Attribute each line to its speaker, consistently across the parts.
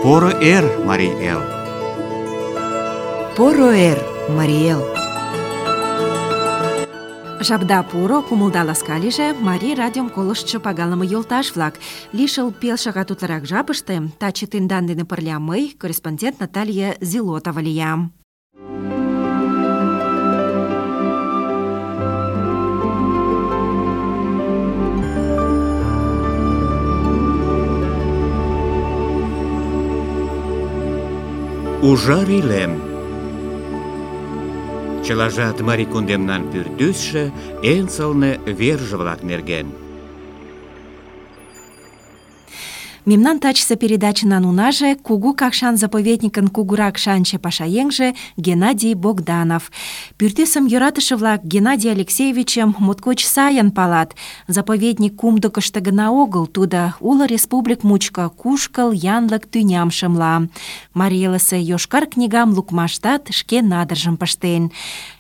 Speaker 1: Поро эр, Марий эл!
Speaker 2: Поро эр, Марий эл!
Speaker 3: Жапда пуро, кумылда ласка лийже, Марий радиом колыштшо пагалыме йолташ-влак. Лишыл пел шагат утларак жапыште таче тендан дене пырля мый, корреспондент Наталья Зилотова лиям.
Speaker 1: Ужар илем. Чылажат Марий кундемнан пӱртӱсшӧ, эн сылне верже-влак нерген.
Speaker 3: Мемнан тачысе передачынан унаже Кугу Какшан заповедникын кугурак шанче пашаеҥже Геннадий Богданов. Пӱртӱсым йӧратыше-влак Геннадий Алексеевичым моткоч сайын палат. Заповедник кумдыкышто гына огыл, тудо уло республик мучко кушкыл, янлык тӱням шымла. Марий элысе йошкар книгам лукмаштат шке надыржым пыштен.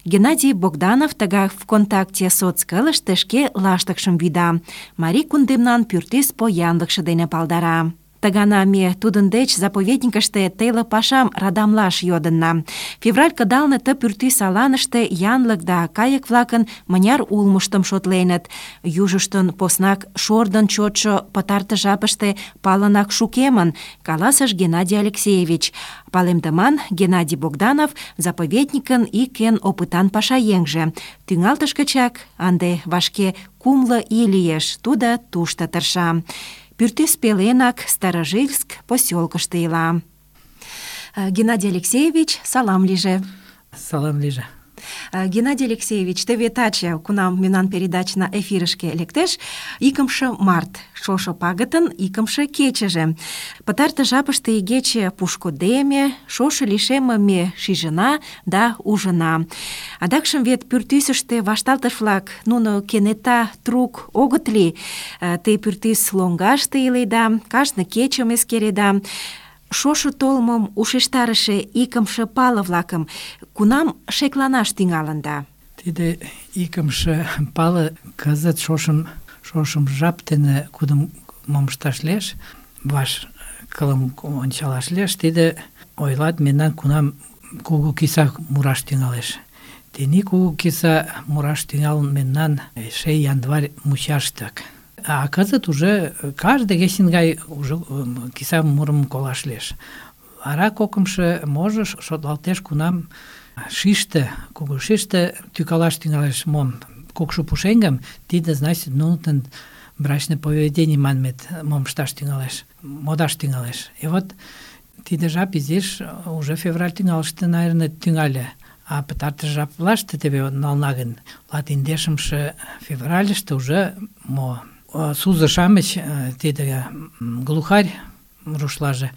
Speaker 3: Геннадий Богданов тыгак ВКонтакте соцкылыште шке лаштыкшым вӱда. Марий кундемнан пӱртӱс поянлыкше дене палдара. Тыгана ме тудын деч заповедникыште теле пашам радамлаш йодынна. Февраль кыдалне ты пӱртӱс аланыште янлык да кайык-влакын мыняр улмыштым шотленыт. Южыштын поснак шордын чотшо пытартыш жапыште палынак шукемын, каласыш Геннадий Алексеевич. Палемдыман Геннадий Богданов заповедникын ик эн опытан пашаеҥже. Тӱҥалтыш гычак ынде вашке 6 ий лиеш, тудо тушто тырша. Пӱртӱс пеленак Старожильск посёлкышто ила. Геннадий Алексеевич, салам лийже.
Speaker 4: Салам лийже.
Speaker 3: Геннадий Алексеевич, теве таче, кунам мемнан передачна эфирышке лектеш, 2 март, шошо пагытын 2 кечыже. Пытартыш жапыште игече пушкыдеме, шошо лишемме шижына да ужына. Адакшым вет пӱртӱсыштӧ вашталтыш-влак, нуно кенета трук огыт лий. Те пӱртӱс лоҥгаште иледа, кажне кечым эскереда. Шошо толмым ушештарыше 2 пале-влакым кунам шекланаш тӱҥалында?
Speaker 4: Тиде 2 пале кызыт шошым жап дене кудым мом ышташ лиеш, ваш кылым ончалаш лиеш, тиде ойлат мемнан кунам кугу киса мураш тӱҥалеш. Тений кугу киса мураш тӱҥалын мемнан эше январь мучаштак. А кызыт уже каждый кечын гай уже киса мурым колаш лиеш. Вара 2 можо шотлалтеш, кунам шиште, кугу шиште тӱкалаш тӱҥалеш мом кукшо пушеҥгым, тиде значит нунын брачный поведение манмет мом ышташ тӱҥалеш, модаш тӱҥалеш. И вот тиде жап изиш уже февраль тӱҥалтыште, наверное, тӱҥале. А пытартыш жаплаште теве нална гын, 15 февральыште уже мо сузо-шамыч, тиде глухарь рушлаже,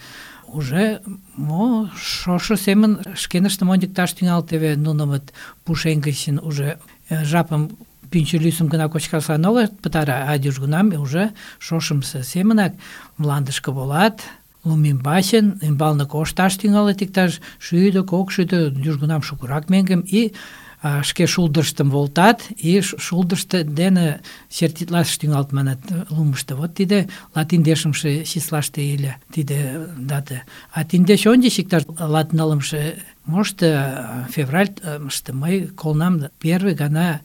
Speaker 4: уже мо шошо семын шкеныштым ончыкташ тӱҥалыт. Теве нуно вот пушеҥге гычын уже жапым пӱнчӧ лӱсым гына кочкашлан огыт пытаре, а южгунам уже шошымсо семынак мландышке волат, лум ӱмбачын, ӱмбалне кошташ тӱҥалыт иктаж 100-200, южгунам шукырак меҥгым, и шке шулдырыштым волтат, и шулдырышт дене чертитлаш тӱҥалыт, манат, лумышто. Вот тиде 15 числаште ыле тиде дата. А тиндеч ончыч иктаж 19 может февральыште мый колынам первый гана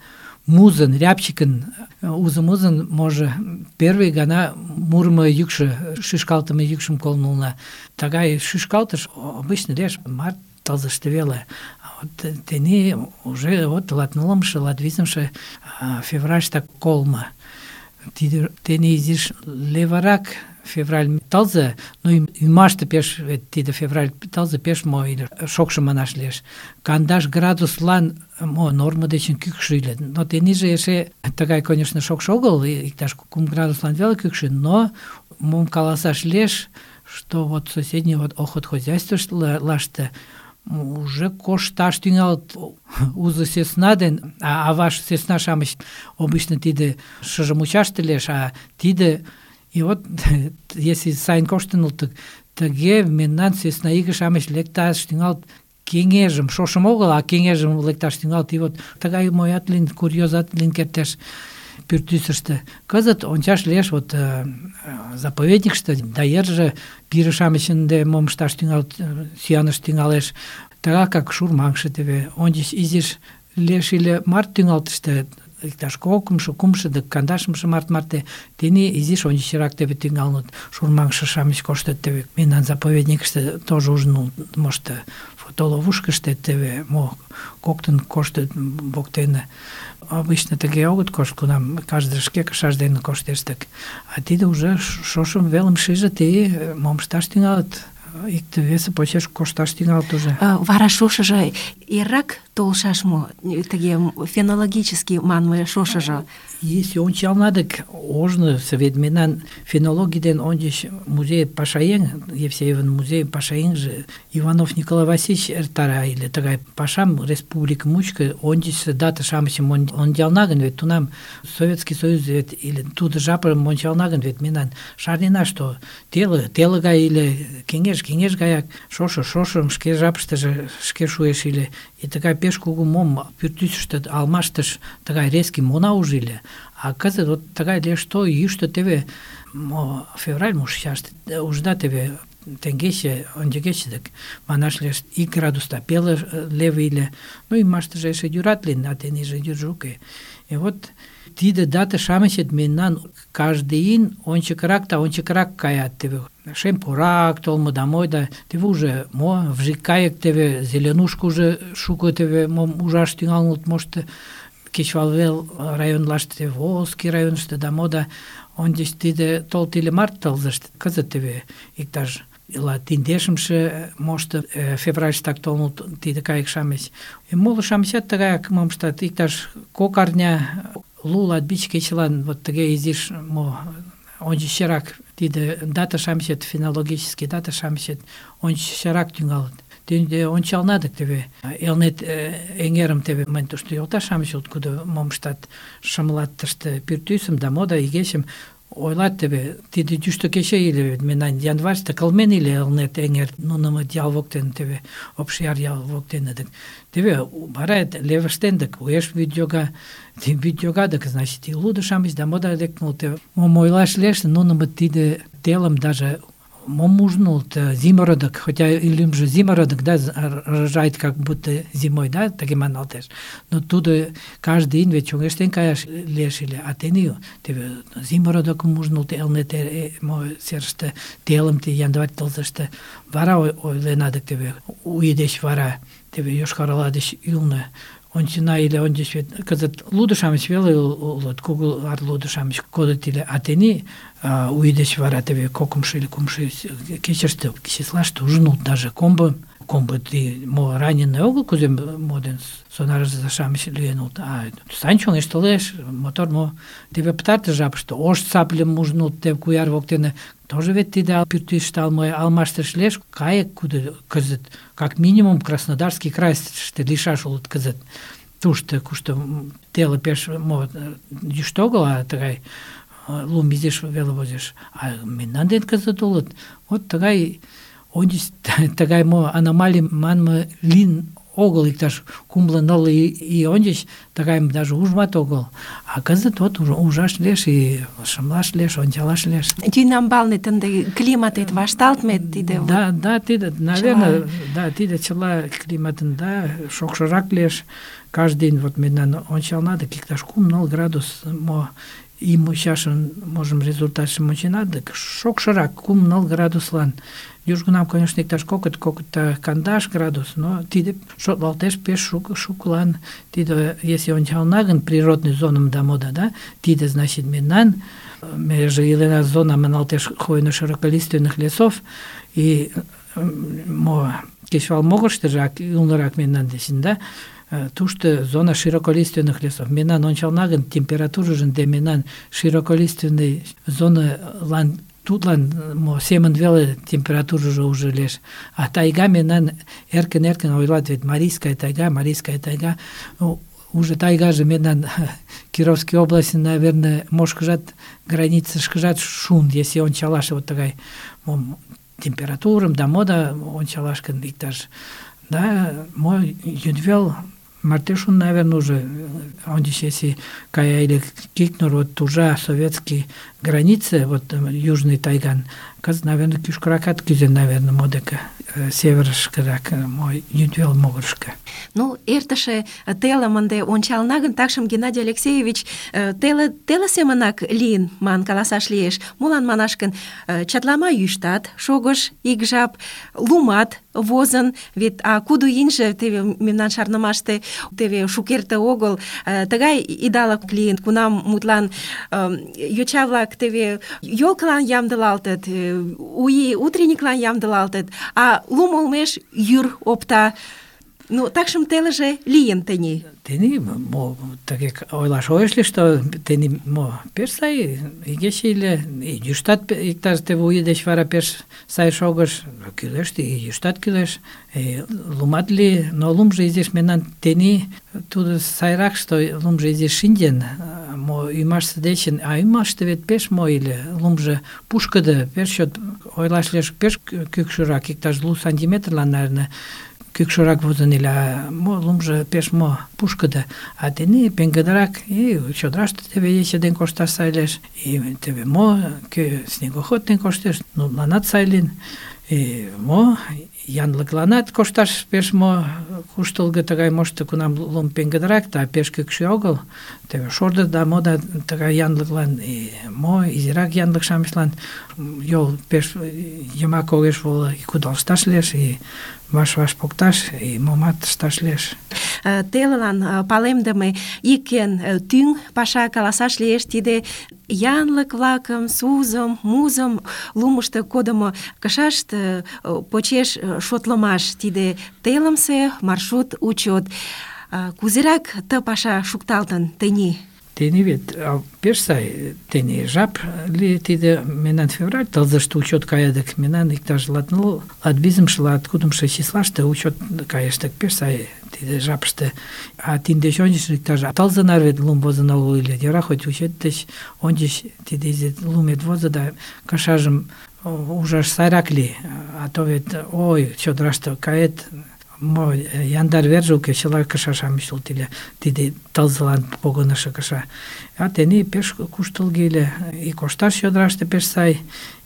Speaker 4: музын, рябчикын узын, може, первый гана мурымо йӱкшӧ, шӱшкалтыме йӱкшым колын улына. Тыгай шӱшкалтыш обычно лиеш март тылзыште веле. Тений уже вот 19-20 февральштак колмо. Тений изиш леварак февраль тылзе, ну ӱмаште пеш тиде февраль тылзе пеш мо шокшо манаш лиеш. 15 градуслан мо норма дечын кӱкшӧ ыле. Но тенийже эше тыгай, конечно, шокшо огыл, иктаж 3 градуслан веле кӱкшӧ, но мом каласаш лиеш, что вот соседний вот охотхозяйствыште уже кошташ тӱҥалыт узо сӧсна ден, а ваш сӧсна-шамыч обычно тиде шыже мучаште лиеш, а тиде, и вот если сайын коштын улыт, тыге мемнан сӧсна иге-шамыч лекташ тӱҥалыт кеҥежым, шошым огыл, а кеҥежым лекташ тӱҥалыт. И вот тыгай моят лийын, курьезат лийын кертеш. пӱртӱсыштӧ. Кызыт ончаш лиеш вот заповедникыште, да йырже пире-шамыч ынде мом ышташ тӱҥалыт, сӱаныш тӱҥалеш. Тыгакак шурмаҥше теве ончыч изиш лиеш ыле март тӱҥалтыште, иктаж кокымшо, кумшо да кандашымше март марте, тений изиш ончычрак теве тӱҥалыныт. Шурмаҥше-шамыч коштыт теве мемнан заповедникыште, тоже ужын мошто фотоловушкыште теве мо коктын коштыт воктене. Обычно тыге огыт кошт, кунам каждый шке кышаж дене коштеш дык. А тиде уже шошым велым шижыт и мом ышташ тӱҥалыт. Икте-весе почеш кошташ тӱҥалыт уже.
Speaker 3: Вара шошыжо эррак толшаш мо? Тыге фенологически манме шошыжо.
Speaker 4: Если ончална дык, ожно совет мемнан фенологий ден ончыч музей пашаеҥ, Евсеевын музей пашаеҥже Иванов Николай Васильевич эртара ыле тыгай пашам республика мучко ончычсо дата-шамычым ончална гын, вет тунам Советский Союз вет или тудо жапым ончална гын, вет мемнан шарнена, что теле гай или кеҥеж гаяк шошым шке жапыштыже шке шуэш ыле. И тыгай пеш кугу мом пӱртӱсыштӧ алмаштыш тыгай резкий мона ужыле. А кызыт вот тыгай лиеш то йӱштӧ теве февраль мушчаште ужда теве теҥгече, ончыгече дык манаш лиеш 1 градус да пеле леве ыле. Ну ӱмаштыже эше йӱрат лийын, а тенийже йӱржӧ уке. И вот тиде дата-шамычет мемнан каждый ийын ончыкрак каят теве. Шем пурак толмо да мой да теве уже мо вжик кайык теве зеленушка уже шуко теве мом ужаш тӱҥалыныт мошто кечывалвел районлаште, Волжский районыште да мо да ончыч тиде толт иле март тылзыште. Кызыт теве иктаж ила тиндешымше мошто февральыштак толыныт тиде кайык-шамыч. Моло-шамычат тыгаяк мом ыштат, иктаж кок арня, лу-латвич кечылан вот тыге изиш мо ончычрак тиде дата-шамычет, фенологический дата-шамычет ончычрак тӱҥалыт. Тенде ончална дык теве Элнет эҥерым теве мынь тушто йолташ-шамыч улыт, кудо мом ыштат, шымлат тыште пӱртӱсым да мо да игечым ойлат теве, тиде йӱштӧ кече ыле, мемнан январьыште кылмен ыле Элнет эҥер, нунымыт ял воктен теве, Обшияр ял воктене дык. Теве вара левыштен дык уэш вӱд йога дык, значит, и лудо-шамыч да мо да лекнылт. Мом ойлаш лиеш, нунымыт тиде телым даже мом ужнут, зимородок, хотя и лӱмжӧ зимородок, да, рожает как будто зимой, да, таки маналтеш. Но тудо каждый ийын вет чоҥештен каяш лиеш ыле, а тений теве зимородокым ужнут Элнет серыште, телым январь тылзыште. Вара ойлена дык теве у ий деч вара теве Йошкар-Ола деч ӱлнӧ ончена иле ончыч вет кызыт лудо-шамыч веле улыт, кугу лудо-шамыч кодыт иле, а тений у ий деч вара теве кокымшо или кумшо кечыште, числаште ужынут даже комбо мо раненый огыл, кузе моден сонарзе-шамыч лӱен улыт, а сань чоҥештылеш, мотор мо теве пытартыш жапыште ош сапльым ужнут теве куяр воктене. Тоже вет тиде пӱртӱсыштӧ алмаштыш лиеш кайык, кудо кызыт как минимум Краснодарский крайыште лийшаш улыт кызыт. Тушто, кушто теле пеш мо йӱштӧ огыл, а тыгай лум изиш веле возеш. А мемнан ден кызыт улыт. Вот тыгай ончыч тыгай мо аномалий манме лийын огыл, иктаж кумло-нылле ий ончыч тыгайым даже ужмат огыл. А кызыт вот ужаш лиеш и шымлаш лиеш, ончалаш лиеш.
Speaker 3: Тӱнямбалне ынде климатет вашталтме тиде.
Speaker 4: Да, тиде, наверное, да, тиде чыла климатын, да, шокшырак лиеш. Каждый день вот мемнан ончална дык иктаж 3-4 градус мо ий мучашын можым результатшым ончена дык шокшырак 3-4 градуслан. Южгунам, конечно, иктаж кокыт кандаш градус, но тиде шотлалтеш пеш шукылан. Тиде, если ончална гын природный зоным да мода, да, тиде, значит, мемнан меже илена зона маналтеш хвойно-широколиственных лесов и мо кечывал могырыштыжак ӱлнырак мемнан дечын, да, тушто зона широколиственных лесов. Мемнан ончална гын температурыжын де мемнан широколиственный зоналан тудлан семын веле температурыжо уже лиеш. А тайга мемнан эркын ойлат, вет Марийская тайга, уже тайгаже мемнан Кировской области, наверное, мошкыжат границышкыжат шун, если ончалаш вот тыгай температурым да мода ончалаш гын иктаж, да, мо йӱдвел Мартышун, наверное, уже, он здесь, если кая Кикнур, вот уже советские границы, вот Южный Тайган, наверное, кюшкракат кюзен, наверное, модека, севершкарак, мой юдвел могыршка.
Speaker 3: Ну, эртыше телым ынде ончална гын, такшым Геннадий Алексеевич теле семынак лийын, ман каласаш лиеш. Молан манаш гын, чатлама йӱштат шогыш ик жап, лумат возын, вет кудо ийынже теве мемнан шарнымаште теве шукерте огыл тыгай идалык лийын, кунам мутлан йоча-влак теве ёлкылан ямдылалтыт, утренниклан ямдылалтыт, а лум олмеш йӱр опта. Ну, такшым телыже лийын тений.
Speaker 4: Тений, таке ойлаш ойыш ли, что тений пеш сай игече иле, и йӱштат иктаж теве уе деч вара пеш сай шогыш, кӱлеш, и йӱштат кӱлеш, лумат ли, но лумжо изиш мемнан тений тудо сайрак, что лумжо изиш шинчен, ӱмашсе дечын, а ӱмаште вет пеш мо иле, лумжо пушкыдо, пеш чот ойлаш лиеш, пеш кӱкшырак, иктаж 2 сантиметрлан, наверное, кӱкшырак возын иле, лумжо пеш мо пушкыдо, а тений пеҥгыдырак, и чодраште теве ече ден кошташ сай лиеш, и теве мо, кӧ снегоход ден коштеш, нуныланат сай лийын, и мо, янлыкланат кошташ пеш мо куштылго тыгай мошто, кунам лум пеҥгыдырак, да пеш кӱкшӧ огыл, теве шордо да мо да тыгай янлыклан, и мо изирак янлык-шамычлан йол пеш йымак огеш воло, и кудалышташ лиеш, и ваш-ваш покташ, и момат ышташ лиеш.
Speaker 3: Телылан палемдыме ик эн тӱҥ паша каласаш лиеш, тиде янлык-влакым, сузым, музым лумышто кодымо кышашт почеш шотлымаш, тиде телымсе маршрут учет. Кузерак ты паша шукталтын тений?
Speaker 4: Тений вет пеш сай, тений жап ли тиде мемнан февраль тылзыште учет каядык, мемнан иктаж латвизымше, латкудымшо числаште учет кайыштык, пеш сай тиде жапыште. А тиндеч ончыч иктаж тылзынар вет лум возын огыл ыле, йӧра хоть учет деч ончыч тиде изи лумет возо да кышажым ужаш сайрак лий, а то вет ой, чодраште кает, мо яндар верже уке, чыла кышашам ӱштылт иле, тиде тылзылан погынышо кыша. А тений пеш куштылго иле, и кошташ чодраште пеш сай,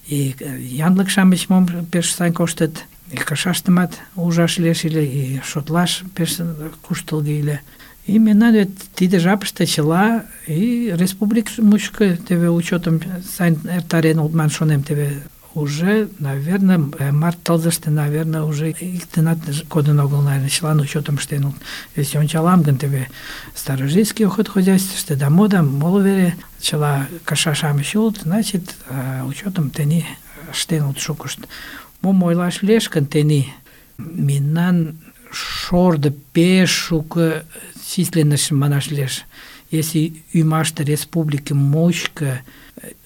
Speaker 4: и янлык-шамыч мом пеш сай коштыт, и кышаштымат ужаш лиеш иле, и шотлаш пеш куштылго иле. И мемнан вет тиде жапыште чыла и республик мучко теве учетым сайын эртарен улман шонем, теве уже, наверное, март тылзыште, наверное, уже иктынат кодын огыл, наверное, чылан учетым ыштен улыт. Если ончалам гын, теве старожитский охотхозяйствыште да мода, моло вере чыла кыша-шамыч улыт, значит, учетым тений ыштен улыт шукышт. Мом ойлаш лиеш гын, тений мемнан шордо пеш шуко численностьшым манаш лиеш. Если ӱмаште республике мучко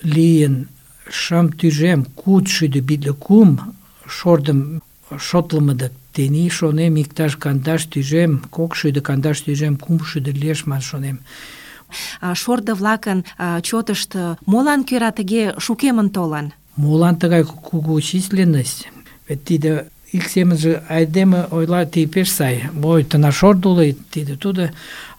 Speaker 4: лийын 550 шордым шотлымыдык, тений шонем иктаж 250 лиеш ман шонем.
Speaker 3: Шордо-влакын чотышт молан кӧра тыге шукемын толын?
Speaker 4: Молан тыгай кугу численность? Вет тиде ик семынже айдеме ойла, ти пеш сай, ой, тынар шордо уло, тиде тудо,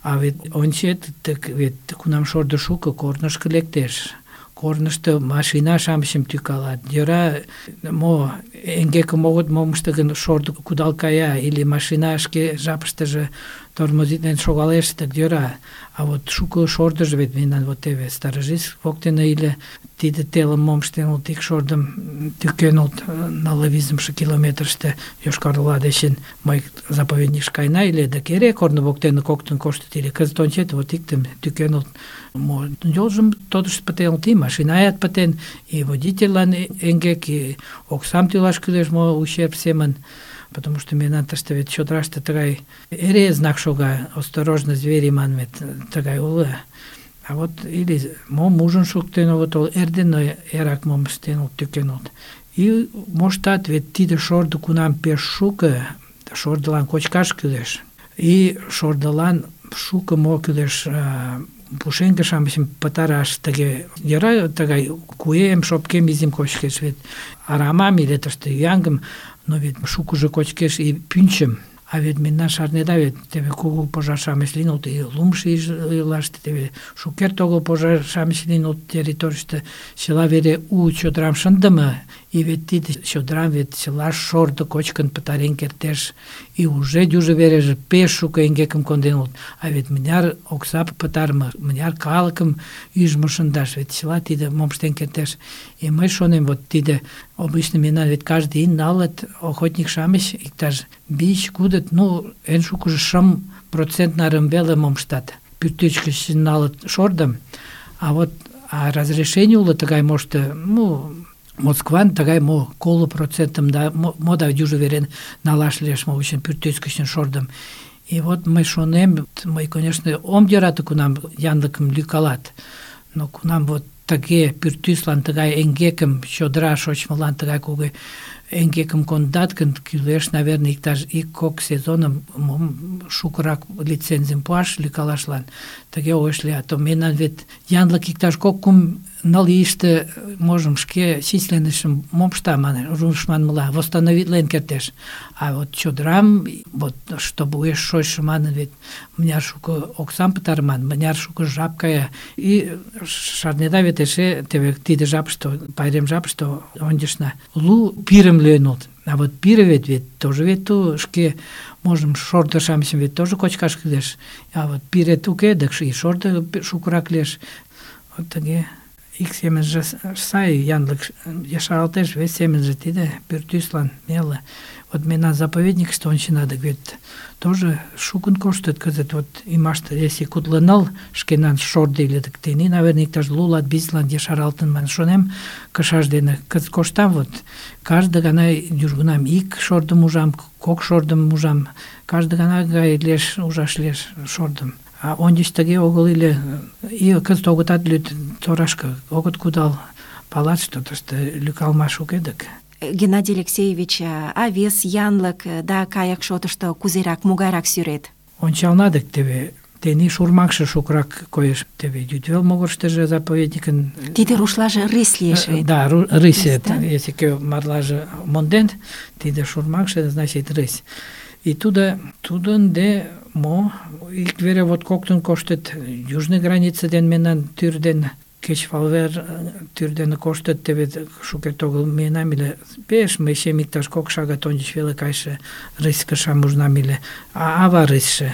Speaker 4: а вет ончет, вет кунам шордо шуко, корнышко лектеш. Корнышто машина-шамычым тӱкалат. Йӧра, мо эҥгекым огыт мом ыште гын, шордо кудал кая, или машина шке жапыштыже тормозитлен шогалеш, так йӧра. А вот шуко шордыжо вет мемнан вот теве Старожитск воктене иле, тиде телым мом ыштен улыт, ик шордым тӱкен улыт нылле визымше километрыште Йошкар-Ола дечын мый заповедникыш каена иле, да эре корно воктене коктын коштыт иле. Кызыт ончет, вот иктым тӱкен улыт. Мо йолжым тодышт пытен улыт, и машинаят пытен, и водительлан эҥгек, и оксам тӱлаш кӱлеш, мо ущерб семын. Потому что мемнан тыште вет чодраште тыгай эре знак шога, осторожно, звери манмет, тыгай уло. А вот или мом ужын шуктен улыт, ол эрдене эрак мом ыштен улыт, тӱкен улыт. И моштат вет тиде шордо кунам пеш шуко, шордылан кочкаш кӱлеш. И шордылан шуко мо кӱлеш, пушеҥге-шамычым пытараш, тыге йӧра тыгай куэм, шопкем изим кочкеш, вет арамам или тыште ӱяҥым, но вет шукыжо кочкеш и пӱнчым. А вет мемнан шарнеда вет теве кугу пожар-шамыч лийын улыт, и лумшо ийлаште теве шукерте огыл пожар-шамыч лийын улыт территорийыште, чыла вере у чодырам шындыме, и вет тиде чодырам вет чыла шордо кочкын пытарен кертеш, и уже южо вереже пеш шуко эҥгекым конден улыт. А вет мыняр окса пытарыме, мыняр калыкым ӱжмӧ шындаш, вет чыла тиде мом ыштен кертеш. И мый шонем, вот тиде обычно мемнан вет каждый ий налыт охотник-шамыч иктаж 5-кудыт, ну, эн шукыжо 5% нарым веле мом ыштат. Пӱртӱс гыч налыт шордым, а вот разрешение уло тыгай мошто, ну, Москван тыгай мо 50% да мо да южо верен налаш лиеш мо үчүн пӱртӱс гычын шордым. И вот мый шонем, мый, конечно, ом йӧрате кунам янлыкым лӱкалат, но кунам вот тыге пӱртӱслан тыгай эҥгекым, чодыра шочмылан тыгай кугу эҥгекым кондат гын, кӱлеш, наверное, иктаж 1-2 сезоным мом шукырак лицензийым пуаш лӱкалашлан. Тыге ойыш лият. То мемнан вет янлык иктаж 2-3 ийыште можым шке численностьшым мом ышта манеш, руш манмыла, восстановитлен кертеш. А вот чодырам, вот чтобы уэш шочшо манын, вет мыняр шуко оксам пытарыман, мыняр шуко жап кая. И шарнеда вет эше теве тиде жапыште, пайрем жапыште ончышна лу пирым лӱен улыт. А вот пире вет тоже вет ту шке можым шордо-шамычым вет тоже кочкаш кӱлеш. А вот пирет уке, дык и шордо шукырак лиеш. Вот тыге ик семынже сай янлык ешаралтеш, вес семынже тиде пӱртӱслан неле. Вот мемнан заповедникыште ончена, дык вет тоже шукын коштыт кызыт. Вот ӱмаште, если кудло 4 шкенан шордо иле, дык тений, наверное, иктаж 20-лан ешаралтын манын шонем, кышаж дене кызыт коштам, вот каждый гана южгунам ик шордым ужам, 2 шордым ужам, каждый гана гай лиеш, ужаш лиеш шордым. А ончыч тыге огыл иле, и кызыт огытат лӱд торашке, огыт кудал, палат, что тыште лӱкалмаш уке дык.
Speaker 3: Геннадий Алексеевич, а вес янлык да каяк шотышто кузерак, могайрак сӱрет?
Speaker 4: Ончална дык теве тений шурмаҥше шукрак коеш, теве йӱдвел могырыштыжо заповедникын...
Speaker 3: Тиде рушлаже рысь лиеш вет.
Speaker 4: Да, рысь, если кӧ марлаже монден, тиде шурмаҥше, значит, рысь. И тудын де мо ик вере вот коктын коштыт южный граница ден мемнан тӱр ден кечывалвер тӱр дене коштыт, теве шукерте огыл миенам ыле, пеш мый иктаж 2 шагат ончыч веле кайше рысь кышам ужнам ыле, ава рысьше.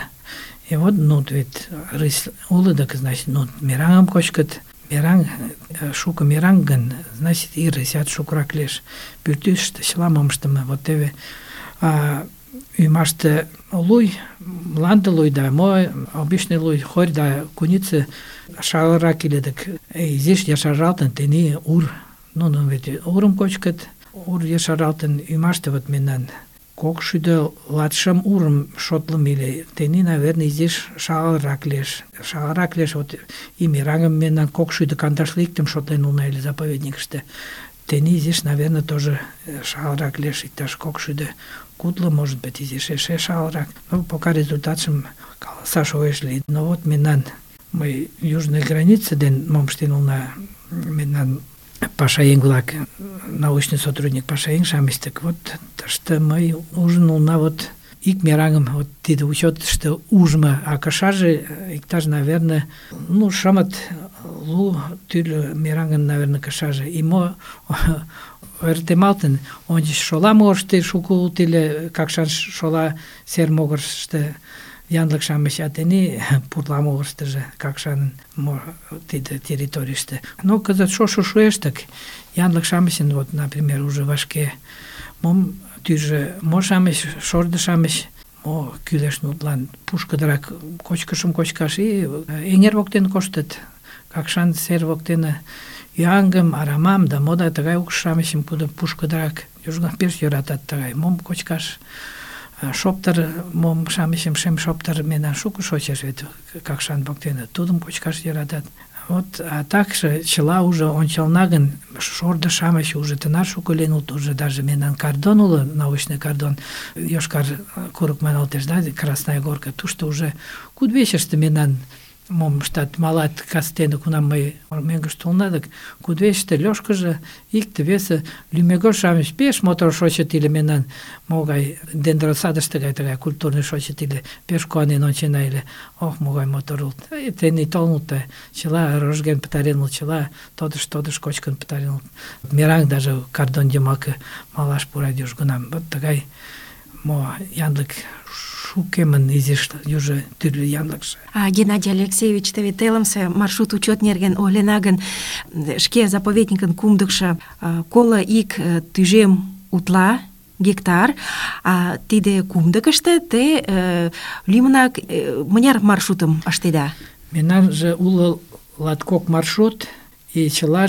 Speaker 4: И вот, ну, вет рысь уло, дык, значит, ну, мераҥым кочкыт, мераҥ, шуко мераҥ гын, значит, и рысят шукырак лиеш. Пӱртӱсыштӧ чыла мом ыштыме, вот теве ӱмаште луй, мланде луй да мо, обычный луй, хорь да куница шагалрак иле, дык изиш ешаралтын тений ур. Нуно вет урым кочкыт, ур ешаралтын ӱмаште вот мемнан 250 урым шотлымо иле. Тений, наверное, изиш шагалрак лиеш. Шагалрак лиеш, вот и мераҥым мемнан 250 шотлен улына ыле заповедникыште. Тений изиш, наверное, тоже шагалрак лиеш, иктаж 250, может быть, изиш эше шагалрак. Ну, пока результатшым каласаш ойыш лийыт. Но вот мемнан мый южный граница ден мом ыштен улына, мемнан пашаеҥ-влак, научный сотрудник пашаеҥ-шамыч, так вот тыште мый ужын улына вот ик мераҥым, вот тиде учётышто ужмо, а кышаже иктаж, наверное, ну, 5-лу тӱрлӧ мераҥын, наверное, кышаже. И мо ойыртемалтын, ончыч шола могырышто шуко улыт ыле, Какшан шола сер могырышто янлык-шамыч, а тений пурла могырыштыжо Какшанын тиде территорийыште. Но кызыт шошо шуэш, так янлык-шамычын, вот, например, уже вашке мом тӱржӧ, мо-шамыч, шордо-шамыч, мо кӱлеш нутлан пушкыдырак кочкышым кочкаш, и эҥер воктен коштыт, Какшан сер воктене ӱаҥым, арамам да мо да тыгай укш-шамычым пушкыдырак южгунам пеш йӧратат тыгай мом кочкаш. Шоптыр мом-шамычым, шем шоптыр мемнан шуко шочеш вет Какшан воктене, тудым кочкаш йӧратат. Вот, а также чыла уже ончална гын, шордо-шамыч уже тынар шуко лийын улыт, уже даже мемнан кардон уло, научный кардон, Йошкар курык маналтеш, да, Красная Горка, тушто уже кудывечыште мемнан мом ыштат, малат кастене, кунам мый мӧҥгыш толна, дык кудывечыште Лёшкыжо, икте-весе лӱмегож-шамыч пеш мотор шочыт ыле мемнан могай дендросадыште гай тыгай культурный шочыт ыле, пеш куанен ончена ыле. Ох, могай мотор улыт. Тений толыныт да чыла рожген пытарен улыт, чыла тодыш кочкын пытарен улыт. Мераҥ даже кардон йымаке малаш пура южгунам. Вот тыгай мо янлык шукемын изиш южо тӱрлӧ янлыкше.
Speaker 3: Геннадий Алексеевич, теве телымсе маршрут учет нерген ойлена гын, шке заповедникын кумдыкшо 21 тӱжем утла гектар, а тиде кумдыкыште те лӱмынак мыняр маршрутым ыштеда?
Speaker 4: Мемнанже уло латкок маршрут, и чыла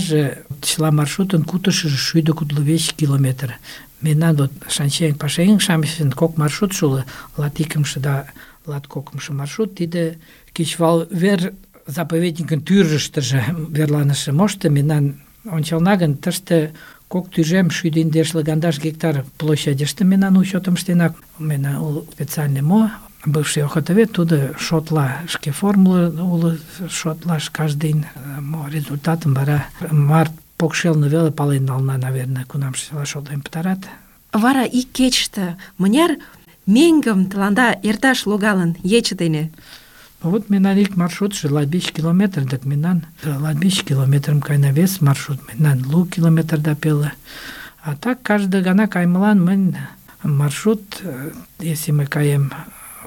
Speaker 4: маршрутын кутышыжо 125 километр. Мемнан вот шанчен пашаеҥ-шамычын кок маршрутшо уло, латикымше да латкокымшо маршрут, тиде кечывал вер заповедникын тӱрыштыжӧ верланыше мошто. Мемнан ончална гын, тыште 2,150 гектар площадьыште мемнан учётым ыштена. Мемнан уло специальный бывший охотовед, тудо шотла, шке формула уло шотлаш каждый результатым вара март покшелне веле пален нална, наверное, кунам шотлен пытарат.
Speaker 3: Вара ик кечыште мыняр меҥгым тыланда эрташ логалын ече дене?
Speaker 4: Вот мемнан ик маршрутшо 25 километр, так мемнан 25 километрым кайна, вес маршрут мемнан 2 километр да пеле. А так каждый гана каймылан мын маршрут, если мы каем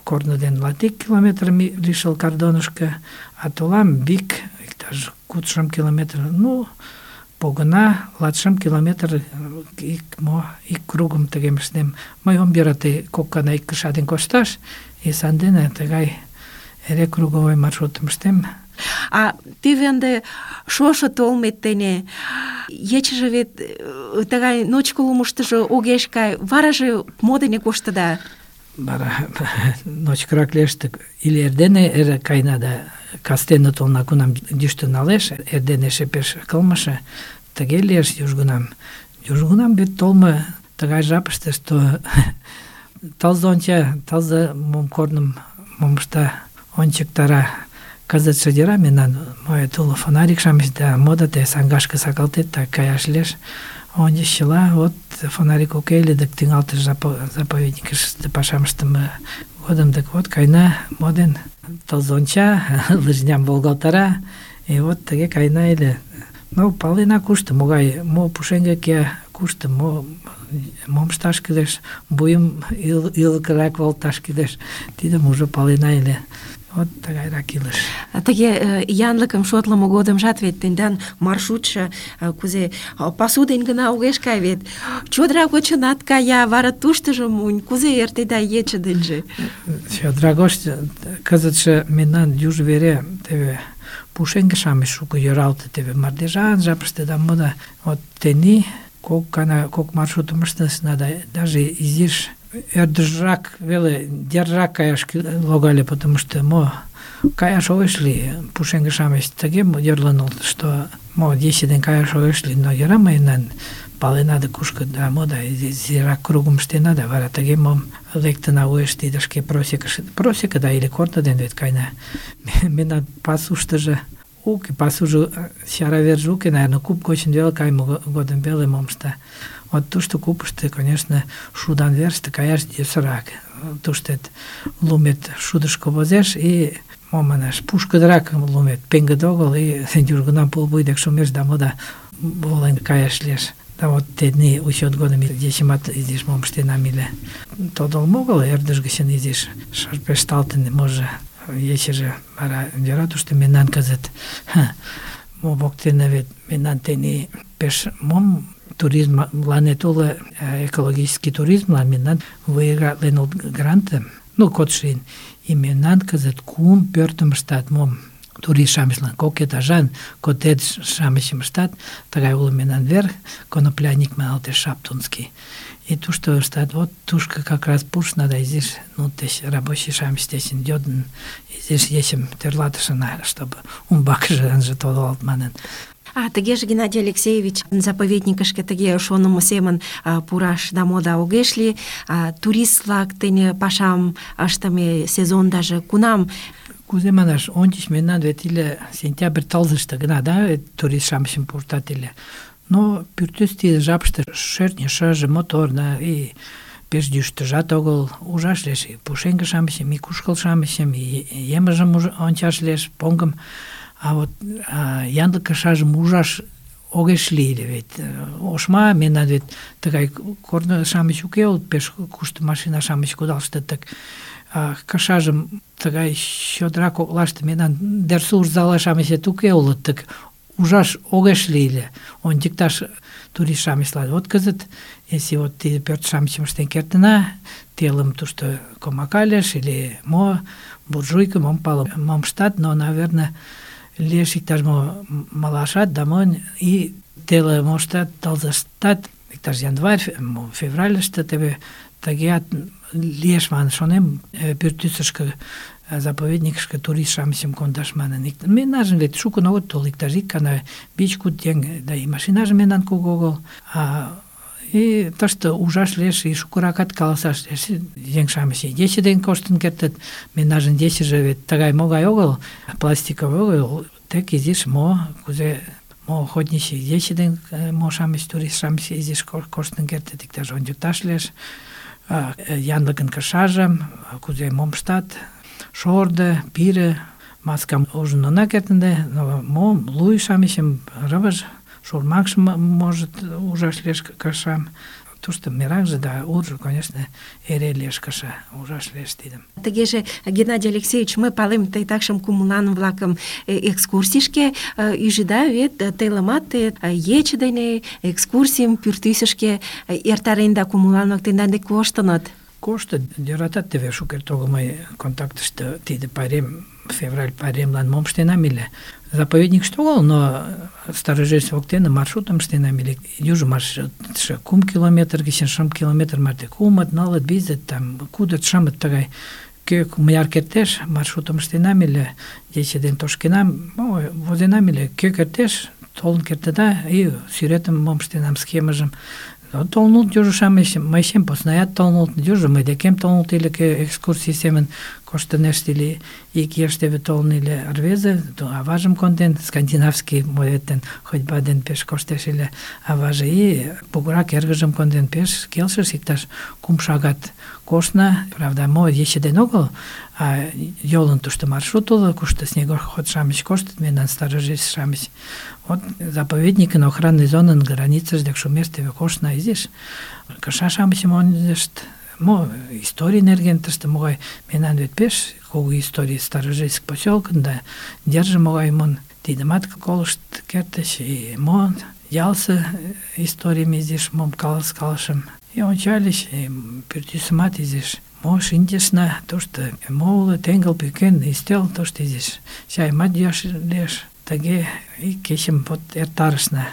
Speaker 4: корно ден 20 километр лишыл кардонышко, а толам бик иктаж 40 километр, ну погына 20 километр ик кругым тыгем ыштем. Мый ом йӧрате кок гана ик кыша ден кошташ, и сандене тыгай эре круговой маршрутым ыштем.
Speaker 3: А теве ынде шошо толмет дене ечыже вет тыгай ночко лумыштыжо огеш кай, вараже мо дене коштыда?
Speaker 4: Вара ночкырак лиеш, или эрдене эре кайна да кастене толна, кунам йӱштӧ налеш, эрдене эше пеш кылмыше, тыге лиеш южгунам. Южгунам вет толмо тыгай жапыште, что тылзе онча, тылзе мом корным мом ышта ончыктара. Кызытше дера мемнан моет уло фонарик-шамыч да мода те саҥгашке сакалтет, так каяш лиеш. Ончычыла, вот фонарик уке ыле, дык тӱҥалтыш заповедникыште пашам ыштыме годым, дык вот кайна моден тылзе онча, лыжням волгалтара, и вот тыге кайна ыле. Ну, палена кушто, могай, мо пушеҥге кия, кушто, мом ышташ кӱлеш, вуйым ӱлыкырак волташ кӱлеш, тидым уже палена ыле. Вот тыгайрак илыш.
Speaker 3: Тыге янлыкым шотлымо годымжат вет тендан маршрутшо кузе пасу ден гына огеш кай вет. Чодыра гочынат кая, вара туштыжо монь, кузе эртеда ече денже?
Speaker 4: Чодыра гоч кызытше мемнан юж вере теве пушеҥге-шамыч шуко йӧралте, теве мардежан жапыште да мода. Вот тений кок маршрутым ыштышна да даже изиш ӧрдыжрак веле деррак каяш логале, потому что каяш огеш лий, пушеҥге-шамыч тыге йӧрлыныт, что ече ден каяш огеш лий, но йӧра мыйнан палена да кушко да изирак кругым ыштена да вара тыге мом лектына уэш тиде шке просека да или корно ден вет кайна. Мемнан пасуштыжо уке, пасужо чара верже уке, наверное, куп гочын веле кайме годым веле мом ышта. Вот тушто купышто, конечно, шудан верыште каяш йӧсырак. Туштет лумет шудышко возеш, и манаш, пушкыдырак лумет, пеҥгыде огыл, и южгунам пулвуй дек шумеш да мода волен каяш лиеш. Да вот тений учет годым ечымат изиш мом ыштенам ыле. Тодылмо огыл, ӧрдыж гычын изиш шарпешталтын, може, ечыже вара йӧра тушто мемнан кызыт. Мо воктене вет мемнан тений пеш мом туризмланет уло, экологический туризмлан мемнан выигратлен грантым, кодшийын. И мемнан кызыт 3 пӧртым ыштат, мом турист-шамычлан 2 этажан коттедж-шамычым ыштат, тыгай уло мемнан вер, конопляник маналтеш, Шаптунский. И тушто ыштат, вот тушко как раз пуш надо изиш, рабочий-шамыч дечын йодын, изиш ечым тӧрлатышын, чтобы умбакыже ынже тодылалт манын.
Speaker 3: Тыгеже, Геннадий Алексеевич, заповедникышке тыге шонымо семын пураш да мода огеш лий. Турист-влак дене пашам ыштыме сезондаже кунам
Speaker 4: кузе манаш, ончыч мемнан вет иле сентябрь тылзыште гына, да, турист-шамычым пуртат ыле. Но пӱртӱс тиде жапыште шӧртньӧ шыже, моторно, и пеш йӱштыжат огыл, ужаш лиеш и пушеҥге-шамычым, и кушкыл-шамычым, и емыжым ончаш лиеш, поҥгым. А вот янлык кышажым ужаш огеш лий ыле вет. Ошма, мемнан вет тыгай корно-шамыч уке улыт, пеш кушто машина-шамыч кудалыштыт, так кышажым тыгай чодыра коклаште мемнан дерсур зала-шамычет уке улыт, так ужаш огеш лий ыле, ончыкташ турист-шамычлан. Вот кызыт, если вот тиде пӧрт-шамычым ыштен кертына, телым тушто комака лиеш или мо, буржуйка, мом пале, мом ыштат, но, наверное, лиеш иктаж-мо малашат да монь, и теле моштат, тылзыштат, иктаж январь, февральыште теве тыгеат лиеш манын шонем, пӱртӱсышкӧ, заповедникышке турист-шамычым кондаш манын. Мемнажын вет шукын огыт тол, иктаж ик гана 5-6 еҥ, да и машинаже мемнан кугу огыл. И тыште ужаш лиеш, и шукыракат каласаш лиеш. Еҥ-шамыч ече дене коштын кертыт, мемнажын ечыже вет тыгай-могай огыл, пластиковый огыл, тек изиш кузе охотничий ече дене мо-шамыч, турист-шамыч изиш коштын кертыт, иктаж ончыкташ лиеш. Янлыкын кышажым, кузе мом ыштат, шордо, пире, маскам ужын она кертынде, но луй-шамычым, рывыж, шурмакшым может ужаш лиеш кышам. Тушто меракже да уржо, конечно, эре лиеш кыша, ужаш лиеш тидым.
Speaker 3: Тыгеже, Геннадий Алексеевич, мый палем, тый такшым кумылан-влакым экскурсийышке ӱжыда вет, телымат ече дене экскурсийым пӱртӱсышке эртаренда, кумылан-влак тендан дек коштыныт.
Speaker 4: Коштыт, йӧратат теве шукерте огыл мый контактыште тиде пайрем, февраль пайремлан мом ыштенам ыле. Заповедникыште огыл, но Старожельц воктене маршрутым ыштенам ыле. Южо маршрутшо 3 километр гычын 5 километр марте кумыт, нылыт, визыт, там кудыт, шымыт тыгай. Кӧ мыняр кертеш, маршрутым ыштенам ыле, ече дене тошкенам, возенам ыле, кӧ кертеш, толын кертыда, и сӱретым мом ыштенам, схемыжым. Толын улыт южо-шамыч, мый чем поснаят толын улыт, южо мый декем толын улыт ыле, кӧ экскурсий семын коштынешт ыле, ик еш теве толын ыле рвезе, аважым конден, скандинавский моэтен ходьба ден пеш коштеш ыле аваже, и кугурак эргыжым конден, пеш келшыш, иктаж 3 шагат коштна, правда, мо ече ден огыл, а йолын тушто маршрут уло, кушто снегоход-шамыч коштыт, мемнан Старожельц-шамыч. Вот заповедникын охранный зонын границыж дек шумеш теве коштна изиш. Кыша-шамычым ончышт, мо историй нерген тыште могай, мемнан вет пеш кугу историй Старожельск посёлкын да держи могай мон, тидымат колышт кертыч, и мо ялсы историйым изиш мом калышым. И ончальыч, и пӱртӱсымат изиш. Мо шинчышна, тушто мо уло, теҥгыл пӱкен, ӱстел тушто изиш чайымат йӱаш лиеш. Тыге и кечым вот эртарышна.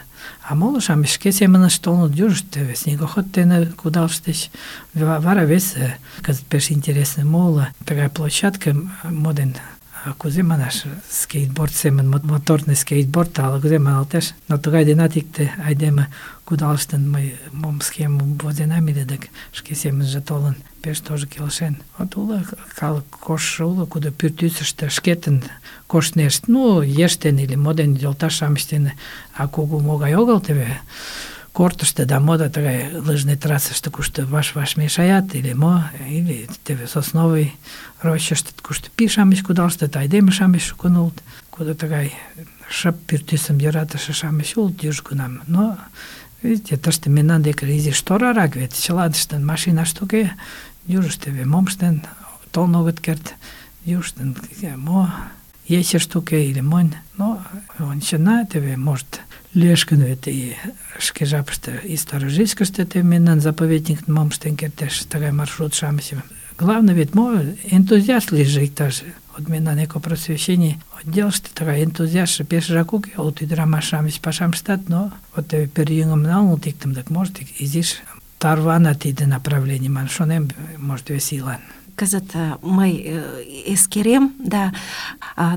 Speaker 4: А моло-шамыч шке семынышт толыныт, южышт теве снегоход дене кудалыштыч. Вара вес, кызыт пеш интересный моло, тыгай площадка моден, кузе манаш, скейтборд семын, моторный скейтборд, ала кузе маналтеш. Но тыгай денат икте айдеме кудалыштын, мый мом схемым возенам ыле, дык шке семынже толын, пеш тоже келшен. Вот уло калык коштшо уло, кудо пӱртӱсыштӧ шкетын коштнешт, ну, еш дене или мо дене, йолташ-шамыч дене, а кугу могай огыл теве кортышто да мода тыгай лыжный трассыште, кушто ваш-ваш мешаят, или мо, или теве сосновый рощыште, кушто пий-шамыч кудалыштыт, айдеме-шамыч шукын улыт, кудо тыгай шып пӱртӱсым йӧратыше-шамыч улыт южгунам. Но, видите, тыште мемнан деке изиш торарак вет, чылаштын машинашт уке, южышт теве мом ыштен толын огыт керт, южыштын мо ечышт уке или монь. Но ончена, теве, может, лиеш гын вет и шке жапыште и Старожельскыште теве мемнан заповедниктын мом ыштен кертеш, тыгай маршрут-шамычым. Главное вет мо энтузиаст лийже иктаж. Вот мемнан экопросвещений отделыште тыгай энтузиастше пешыжак уке, улыт ӱдырамаш-шамыч пашам ыштат, но вот теве пӧръеҥым налыныт иктым, так может изиш тарвана тиде направлений, манын шонем, может, весилан.
Speaker 3: Кызыт мый эскерем, да,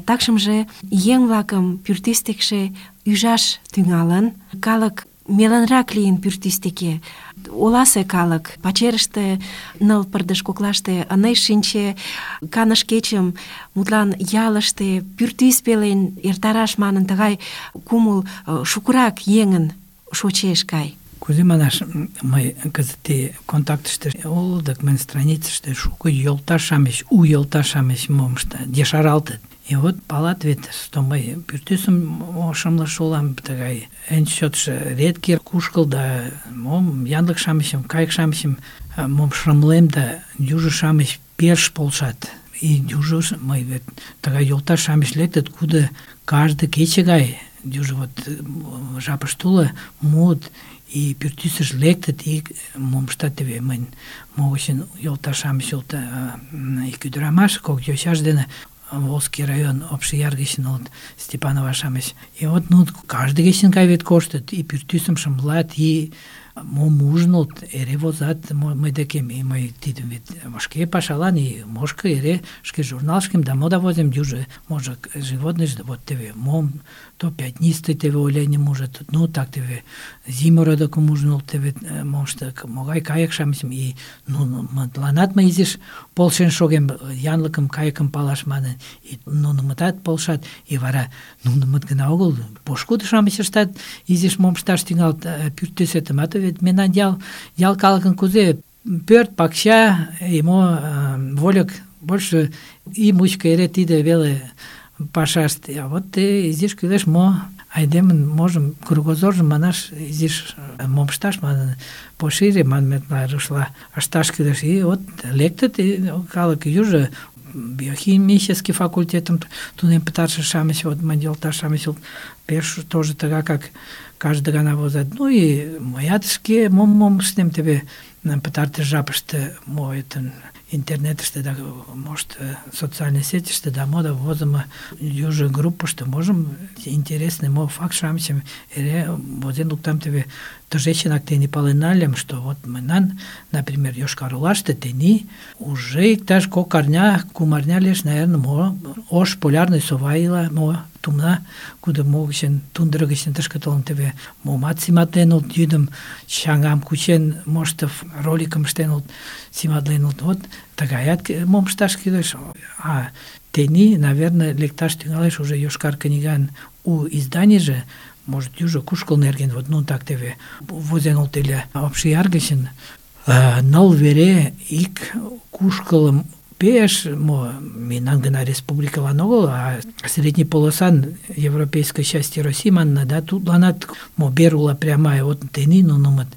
Speaker 3: такшымже еҥ-влакым пӱртӱс декше ӱжаш тӱҥалын. Калык меланрак лийын пӱртӱс оласе калык пачерыште ныл пырдыж коклаште ынеж шинче, каныш кечым мутлан ялыште пӱртӱс пелен эртараш манын тыгай кумыл шукырак еҥын шочеш кай.
Speaker 4: Кузе манаш, мый кызыт контактыште улдык, мыйын страницыште шуко йолташ-шамыч, у йолташ-шамыч мом ыштат, ешаралтыт. И вот палат вет, что мый пӱртӱсым ошымлыш улам, тыгай эн чотшо редкий кушкыл да мом янлык-шамычым, кайык-шамычым мом шымлем да южо-шамыч пеш полшат. И южо мый вет тыгай йолташ-шамыч лектыт, кудо каждый кече гай южо вот жапыште уло муыт, и пӱртӱсыш лектыт, и мом ыштат теве мыйын могычын йолташ-шамыч ик ӱдырамаш, кок йочаж дене Волжский район Обшияр гычын улыт, Степанова-шамыч. И вот каждый кечын гай вет коштыт, и пӱртӱсым шымлат, и мом ужын улыт, эре возат мый декем, и мый тидым вет шке пашалан, и мошко эре шке журналышкем да мода возем, южо, може, животный, вот теве мом, то пятнистый теве оленем ужат, ну так теве зимородокым ужын улыт, теве момшто могай кайык-шамычым, и мытланат мый изиш полшен шогем янлыкым, кайыкым палаш манын, и нунымытат полшат, и вара нунымыт гына огыл, пошкудо-шамыч ыштат, изиш мом ышташ тӱҥалыт, пӱртӱсетымат вет мемнан ял калыкын кузе пӧрт, пакча, и мо вольык, больше ий мучко эре тиде веле пашаште. А вот изиш кӱлеш мо айдемын можым кругозоржым манаш изиш мом ышташ манын пошире манметла рушла ышташ кӱлеш. И вот лектыт калык южо биохимический факультетым тунем пытарыше-шамыч, вот мый йолташ-шамыч пеш тоже тыгак, как каждый гана возат. Ну и мыят шке мом ыштем теве пытартыш жапыште мойтын интернетыште да, может, социальной сетиште да мода возымо южо группыште можем интересный мо факт-шамычым эре возен луктам теве тыжечынак тени пален нальым, что вот мынан, например, Йошкар-Олаште тени уже иктаж кок арня, кум арня лиеш, наверное, мо ош полярный сова ила, мо тумна, куда могычен тундра гычын тышке толын теве момат симатлен улыт, йӱдым чаҥам кучен моштов, роликым ыштен улыт, симатлен улыт. Вот тыгаят мом ышташ кӱлеш. А тени, наверное, лекташ тӱҥалеш уже Йошкар книган у изданийже, может, южо кушкыл нерген, вот ну так теве возен улыт ыле Обшияр гычын, ныл вере ик кушкылым пеш мо мемнан гына республикалан огыл, а средний полосан европейской части России манна, да, тудланат мо берула прямая, вот тени нунымыт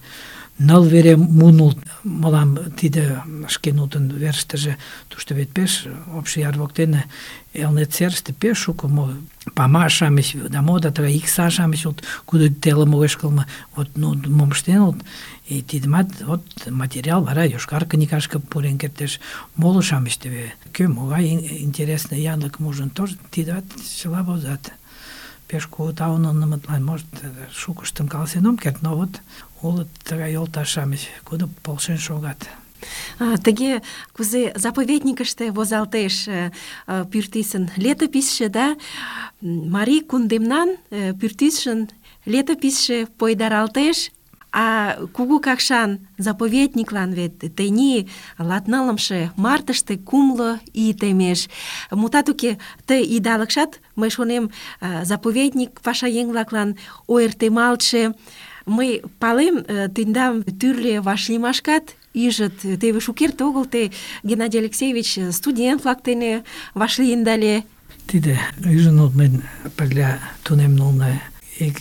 Speaker 4: ныл вере мунулт мылам тиде шкенутын верыштыже, тушто вет пеш Обшияр воктене Элнет серыште пеш шуко мо пама-шамыч да мода тыгай икса-шамыч улыт, кудо телым огеш кылме, вот ну мом ыштен улыт, и тидымат вот материал вара Йошкар книгашке пурен кертеш. Моло-шамыч теве кӧ могай интересный янлыкым ужын, тоже тидат чыла возат. Пеш кугу таун нунымытлан, может, шукыштым каласен ом керт, но вот улыт тыгай йолташ-шамыч, кудо полшен шогат.
Speaker 3: Тыге кузе заповедникыште возалтеш пӱртӱсын летописьше, да, марий кундемнан пӱртӱсшын летописьше пойдаралтеш, а Кугу Какшан заповедниклан вет тений латнылымше мартыште кумло ий темеш. Мутат уке, ты идалыкшат, мый шонем, заповедник пашаеҥ-влаклан ойыртемалтше. Мый палем, тендам тӱрлӧ вашлиймашкат ӱжыт. Теве шукерте огыл те, Геннадий Алексеевич, студент-влак дене вашлийында ыле.
Speaker 4: Тиде ӱжын улыт мыйын пырля тунемнылна ик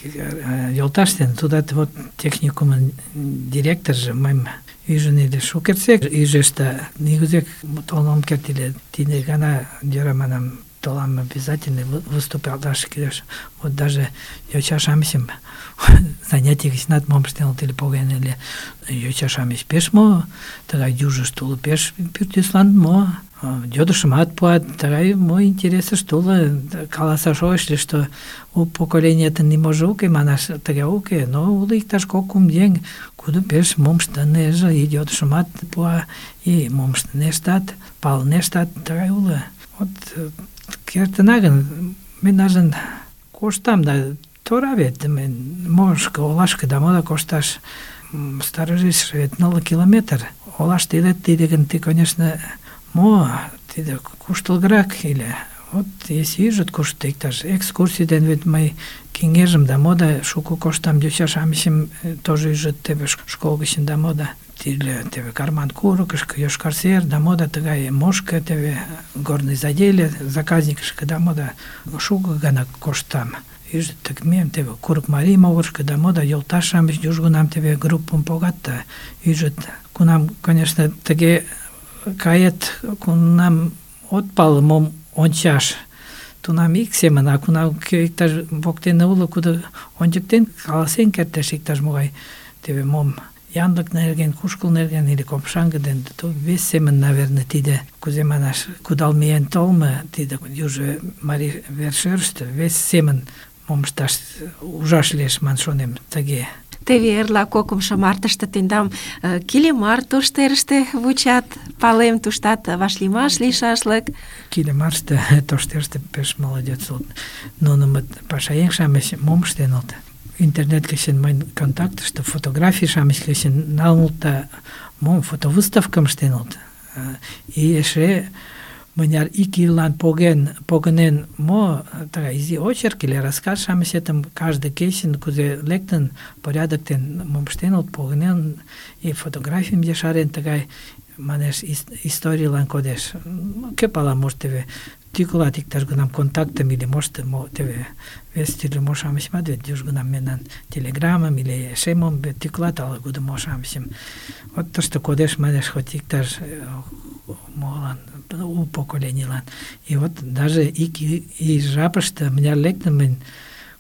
Speaker 4: йолташ дене, тудат вот техникумын директоржо мыйым ӱжын ыле шукертсек, ӱжеш да нигузек толын ом керт ыле. Тиде гана йӧра манам, толам обязательно выступалаш кӱлеш. Вот даже йоча-шамычым занятий гычнат мом ыштен улыт ыле поген ыле. Йоча-шамыч пеш мо тыгай южышт уло, пеш пӱртӱслан мо йодышымат пуат, тыгай мо интересышт уло. Каласаш огеш лий, что у поколениетын ниможо уке манаш, тыге уке, но уло иктаж кок-кум еҥ, кудо пеш мом ыштынеже, и йодышымат пуа, и мом ыштынештат, палынештат, тыгай уло. Вот кертына гын, мен ажын коштам да тора вет, можко олашке да мода кошташ сторожиш вет 0 километр. Олаште илет тиде гын, ты, конечно, тиде куштылгырак или вот если ижыт кушто иктаж экскурсий ден вет мый кеҥежым да мода шуко коштам йоча-шамычым тоже ижыт теве школ гычын да мода тиде теве Карман курыкышко, Йошкар сер да мода тыгай мошко теве горный заделе заказникышко да мода шуко гана коштам. Ижыт тыгмем теве Курык марий могырышко да мода йолташ-шамыч южгунам теве группым погат да ижыт кунам, конечно, тыге кает, кунам от пале мом ончаш, тунам ик семын, а кунам иктаж воктене уло, кудо ончыктен, каласен кертеш иктаж-могай теве мом янлык нерген, кушкыл нерген или копшаҥге ден, то вес семын, наверное, тиде, кузе манаш, кудал миен толмо, тиде южо марий вершӧрыштӧ вес семын мом ышташ ужаш лиеш, ман шонем, тыге.
Speaker 3: Теве эрла кокымшо мартыште тендам Килемар тоштерыште вучат, палем, туштат вашлиймаш лийшашлык.
Speaker 4: Килемарыште тоштерыште пеш молодец улыт. Нунымыт пашаеҥ-шамыч мом ыштеныт? Интернет гычын мыйын контактыште фотографий-шамыч гычын налыныт да мом фотовыставкым ыштеныт. И эше мыняр ик ийлан погынен мо тыгай изи очерк или рассказ-шамычетым каждый кечын кузе лектын порядок ден мом ыштеныт, погынен и фотографийым ешарен тыгай манеш историйлан кодеш. Кӧ пала, может, теве тӱкылат иктаж-гынам контактым или может теве вес тӱрлӧ мо-шамычымат вет южгунам мемнан телеграммым или эше мом тӱкылат ала-кудо мо-шамычым. Вот тыште кодеш, манеш, хоть иктаж молан у поколенийлан. И вот даже ик ий жапыште мыняр лектын мынь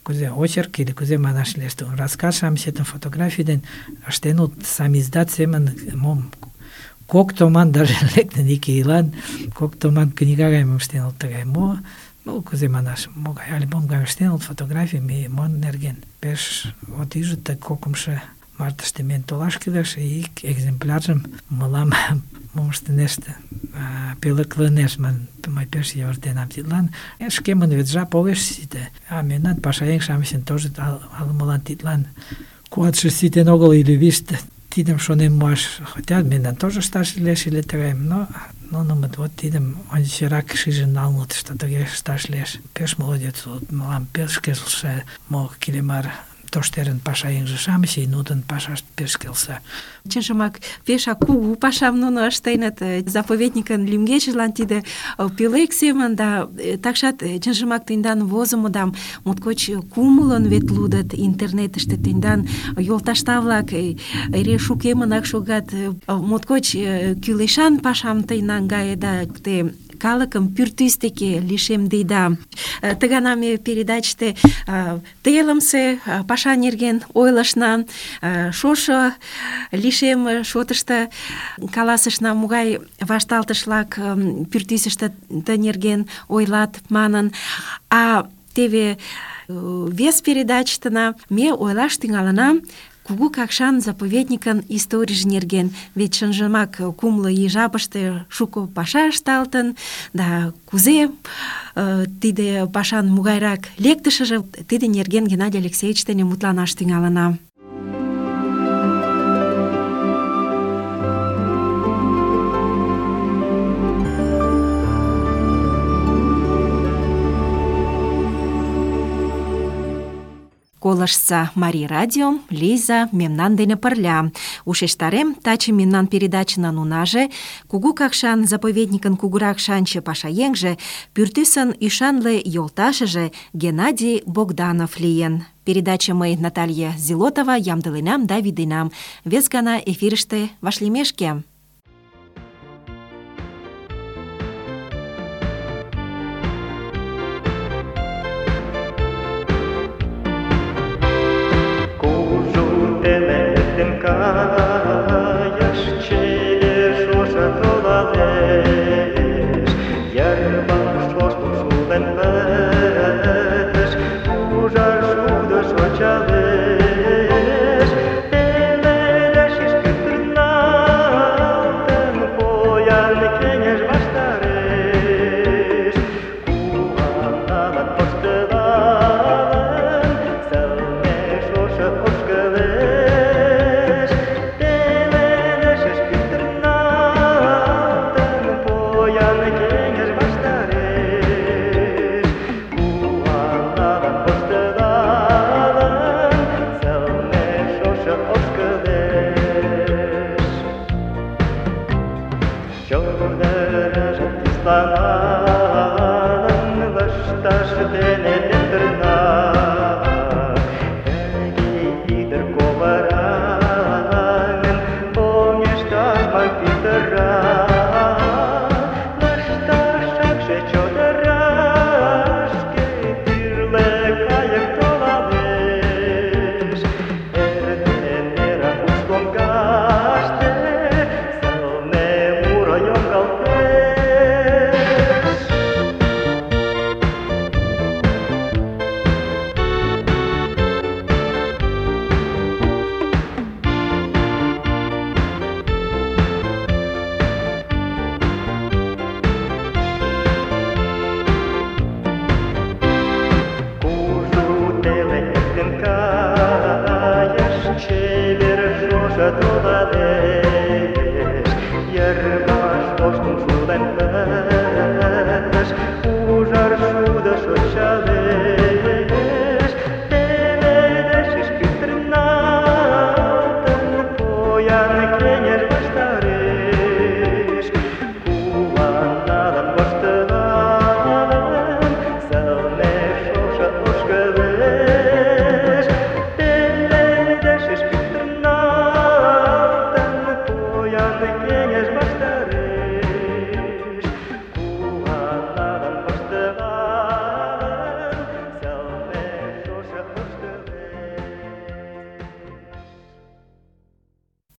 Speaker 4: кузе очерк или кузе манаш лиеш, рассказ-шамычетым фотографий ден ыштеныт самиздат семын мом кок томан даже лектын ик ийлан, кок томан книга гайым ыштеныт тыгай мо, ну кузе манаш, могай альбом гайым ыштеныт фотографийым и мон нерген. Пеш вот ижыт кокымшо мартыште мен толаш кӱлеш, ик экземпляржым мылам мом ыштынешт пӧлеклынеш, мый пеш йӧратенам тидлан. Шкемын вет жап огеш сите, а мемнан пашаеҥ-шамычын тоже ала-молан тидлан куатше ситен огыл или виш тидым шонен муаш хотят, мемнан тоже ышташ лиеш или тыгайым, но нунымыт вот тидым ончычрак шижын налыныт, что тыге ышташ лиеш. Пеш молодец улыт, мылам пеш келше мо Килемар тоштерын пашаеҥже-шамыч, и нудын пашашт пеш келша.
Speaker 3: Чынжымак, пешак кугу пашам нуно ыштеныт, заповедникын лӱмгечыжлан тиде пӧлек семын, да такшат чынжымак тендан возымыдам моткоч кумылын вет лудыт интернетыште, тендан йолташда-влак эре шукемынак шогат, моткоч кӱлешан пашам тый наҥгаеда, те калыкым пӱртӱс деке лишемдеда. Тыгана ме передачыште телымсе паша нерген ойлышна, шошо лишем шотышто каласышна, могай вашталтышлак пӱртӱсыштӧ ты нерген ойлат манын. А теве вес передачыштына ме ойлаш тӱҥалына Кугу Какшан заповедникын историйже нерген. Вет чынжымак кумло ий жапыште шуко паша ышталтын, да кузе тиде пашан могайрак лектышыже, тиде нерген Геннадий Алексеевич дене мутланаш тӱҥалына. Колыштса Марий радиом, Лиза мемнан дене пырля. Ушештарем, таче мемнан передачынын унаже Кугу Какшан заповедникын кугурак шанче пашаеҥже, пӱртӱсын ӱшанле йолташыже Геннадий Богданов лийын. Передача мый, Наталья Зилотова, ямдыленам да вӱденам. Вес гана эфирыште вашлиймешке.
Speaker 5: Каяш чевер шошо толалеш, Йырваш воштыл шулден пытыш, ужар шудо шочалеш. Пеледеш ишкытырналтын, поян кеҥеж ваштареш. Куаналат воштылалын, дене